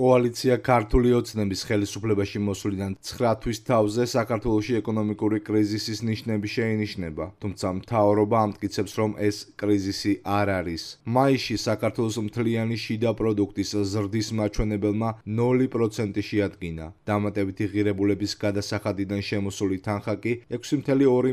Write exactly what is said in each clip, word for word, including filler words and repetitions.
კოალიცია ქართული ოცნების ხელისუფლებაში მოსვლიდან ცხრა თვის თავზე საქართველოში ეკონომიკური კრიზისის ნიშნები შეინიშნება, თუმცა მთავრობა ამტკიცებს, რომ ეს კრიზისი არ არის. მაისში საქართველოს მთლიანი შიდა პროდუქტის ზრდის მაჩვენებელმა ნული პროცენტი შეადგინა. დამატებითი ღირებულების გადასახადიდან შემოსული თანხა კი ექვსი კoma ორი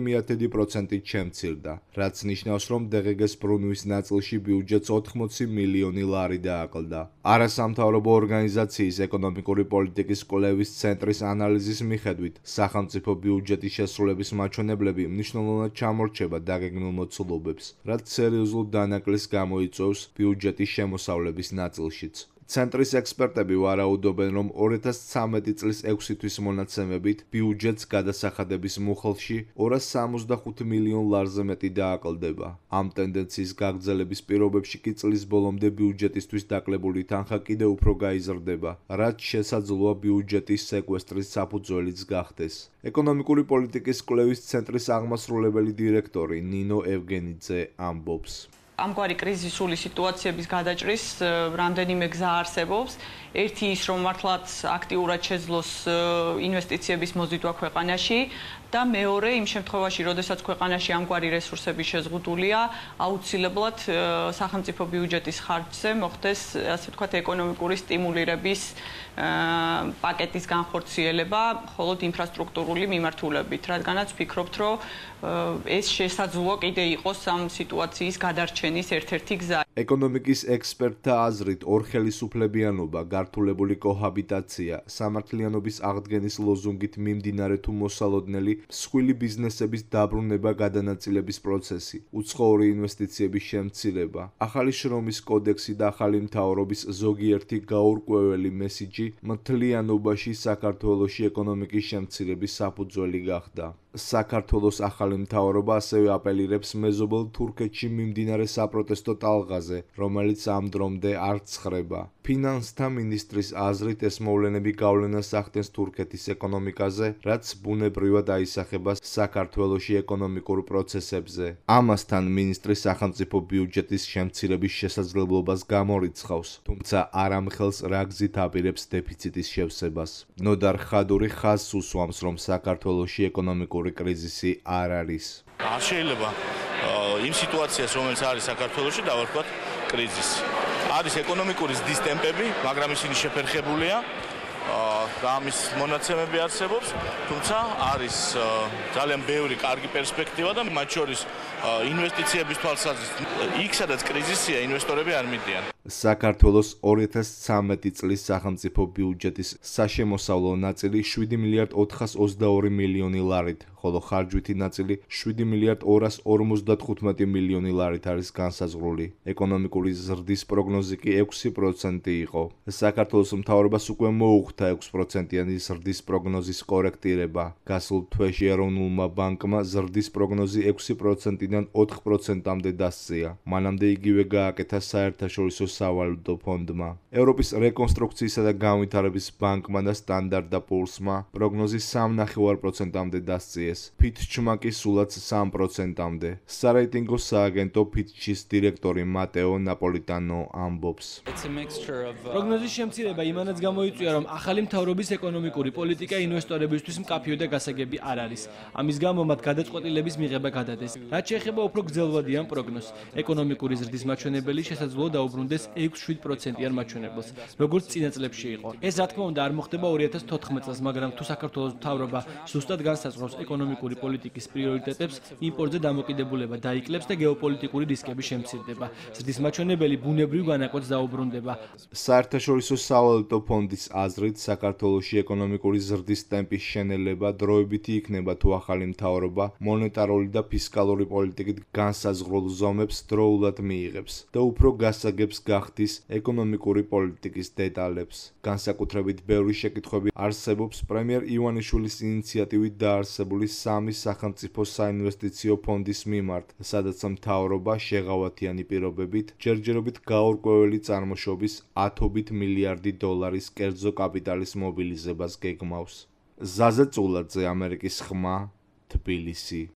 პროცენტით შემცირდა, რაც ნიშნავს, რომ დე ღე გეს ბრუნვის ნაწილში ბიუჯეტს ოთხმოცი მილიონი ლარი დააკლდა. არასამთავრობო ორგანიზაციის ეკონომიკური პოლიტიკის კვლევის ცენტრის ანალიზის მიხედვით, სახელმწიფო ბიუჯეტის შესრულების მაჩვენებლები მნიშვნელოვნად ჩამორჩება დაგეგმილ მოცულობებს, რაც სერიოზულ დანაკლისს გამოიწვევს ბიუჯეტის შემოსავლების ნაწილშიც. ცენტრის ექსპერტები ვარაუდობენ, რომ ორი ათას ცხრამეტი წლის ექვსი თვის მონაცემებით ბიუჯეტს გადასახადების მუხლში ორას სამოცდახუთ მილიონ ლარზე მეტი დააკლდება. ამ ტენდენციის გაგრძელების პირობებში კი წლის ბოლომდე ბიუჯეტისთვის დაკლებული თანხა კიდევ უფრო გაიზრდება, რაც შესაძლოა ბიუჯეტის სეკვესტრის საფუძველიც გახდეს. ეკონომიკური პოლიტიკის კვლევის ცენტრის აღმასრულებელი დირექტორი ნინო ევგენიძე ამბობს. ამგვარი კრიზისული სიტუაციების გადაჭრის რამდენიმე გზა არსებობს. ერთი ის, რომ მართლაც აქტიურად შეძლოს ინვესტიციების მოზიდვა ქვეყანაში და მეორე იმ შემთხვევაში, როდესაც ქვეყანაში ამგვარი რესურსები შეზღუდულია, აუცილებლად სახელმწიფო ბიუჯეტის ხარჯზე მოხდეს, ასე ვთქვათ, ეკონომიკური სტიმულირების პაკეტის განხორციელება, მხოლოდ ინფრასტრუქტურული მიმართულებით, რადგანაც ვფიქრობთ, რომ ეს შესაძლოა კიდე იყოს ამ სიტუაციის გადარჩენის ერთ-ერთი გზა. ეკონომიკის ექსპერტთა აზრით, ორხელისუფლებიანობა, გართულებული კოჰაბიტაცია, სამართლიანობის აღდგენის ლოზუნგით მიმდინარე თუ მოსალოდნელი მსხვილი ბიზნესების დაბრუნება გადანაწილების პროცესი, უცხოური ინვესტიციების შემცირება, ახალი შრომის კოდექსი და ახალი მთავრობის ზოგიერთი გაურკვეველი მესიჯი მთლიანობაში საქართველოში ეკონომიკის შემცირების საფუძველი გახდა. საქართველოს ახალი მთავრობა ასევე აპელირებს მეზობელ თურქეთში მიმდინარე საპროტესტო ტალღაზე, რომელიც ამ დრომდე არ ცხრება. ფინანსთა მინისტრის აზრით, ეს მოვლენები გავლენას ახდენს თურქეთის ეკონომიკაზე, რაც ბუნებრივად აისახება საქართველოში ეკონომიკურ პროცესებზე. ამასთან მინისტრი სახელმწიფო ბიუჯეტის შემცირების შესაძლებლობას გამორიცხავს, თუმცა არ ამხელს რა გზით აპირებს დეფიციტის შევსებას. ნოდარ ხადური ხაზს უსვამს, რომ საქართველოში ეკონომიკური კრიზისი არ არის. არ შეიძლება იმ სიტუაციას, რომელიც არის საქართველოში, დავარქვათ კრიზისი. არის ეკონომიკური ზრდის ტემპები, მაგრამ ისინი შეფერხებულია და ამის მონაცემები არსებობს, თუმცა არის ძალიან ბევრი კარგი პერსპექტივა და მათ შორის ინვესტიციების თვალსაზრისით იქ, სადაც კრიზისია, ინვესტორები არ მიდიან. საქართველოს ორი ათას ცხრამეტი წლის სახელმწიფო ბიუჯეტის საშემოსავლო ნაწილი შვიდი მილიარდ ოთხას ოცდაორი მილიონი ლარით, ხოლო ხარჯვითი ნაწილი შვიდი მილიარდ ორას ორმოცდათხუთმეტი მილიონი ლარით არის განსაზღვრული. ეკონომიკური ზრდის პროგნოზი კი ექვსი პროცენტი იყო. საქართველოს მთავრობას უკვე მოუხდა ექვს პროცენტიანი ზრდის პროგნოზის კორექტირება. გასულ თვეში ეროვნულმა ბანკმა ზრდის პროგნოზი ექვსი პროცენტიდან ოთხ პროცენტამდე დასწია. მანამდე იგივე გააკეთა საერთაშორისო სავალუტო ფონდმა. ევროპის რეკონსტრუქციისა და განვითარების ბანკმა და სტანდარტ და პულსმა პროგნოზი სამ კoma პέντε პროცენტამდე დასწიეს. ფიტჩმა კი სულაც სამ პროცენტამდე. სარეიტინგო სააგენტო ფიტჩის დირექტორი მატეო ნაპოლიტანო ამბობს. პროგნოზის შემცირება იმანაც გამოიწვია, რომ ახალი მთავრობის ეკონომიკური პოლიტიკა ინვესტორებისთვის მკაფიო და გასაგები არ არის. ამის გამო მათ გადაწყვეტილების მიღება გადადეს. რაც შეეხება უფრო გრძელვადიან პროგნოზს, ეკონომიკური ზრდის მაჩვენებელი შესაძლოა დაუბრუნდეს ექვს შვიდ პროცენტიან მაჩვენებელს, როგორც წინა წლებში იყო. ეს რა თქმა უნდა არ მოხდება ორი ათას თოთხმეტ წელს, მაგრამ თუ საქართველოს მთავრობა ზუსტად განსაზღვრავს ეკონომიკური პოლიტიკის პრიორიტეტებს, იმპორტზე დამოკიდებულება დაიკლებს და გეოპოლიტიკური რისკები შემცირდება. ზრდის მაჩვენებელი ბუნებრივ განაკვეთს დაუბრუნდება. საერთაშორისო სავალუტო ფონდის აზრით, საქართველოში ეკონომიკური ზრდის ტემპის შენელება დროებითი იქნება, თუ ახალი მთავრობა მონეტარული და ფისკალური პოლიტიკით განსაზღვრულ ზომებს დროულად მიიღებს და უფრო გასაგებს გახდის ეკონომიკური პოლიტიკის დეტალებს. განსაკუთრებით ბევრი შეკითხვები არსებობს პრემიერ ივანიშვილის ინიციატივით დაარსებული სამი სახელმწიფო საინვესტიციო ფონდის მიმართ, სადაც მთავრობა შეღავათიანი პირობებით ჯერჯერობით გაურკვეველი წარმოშობის ათობით მილიარდი დოლარის კერძო კაპიტალის მობილიზებას გეგმავს. ზაზე წულაძე, ამერიკის ხმა, თბილისი.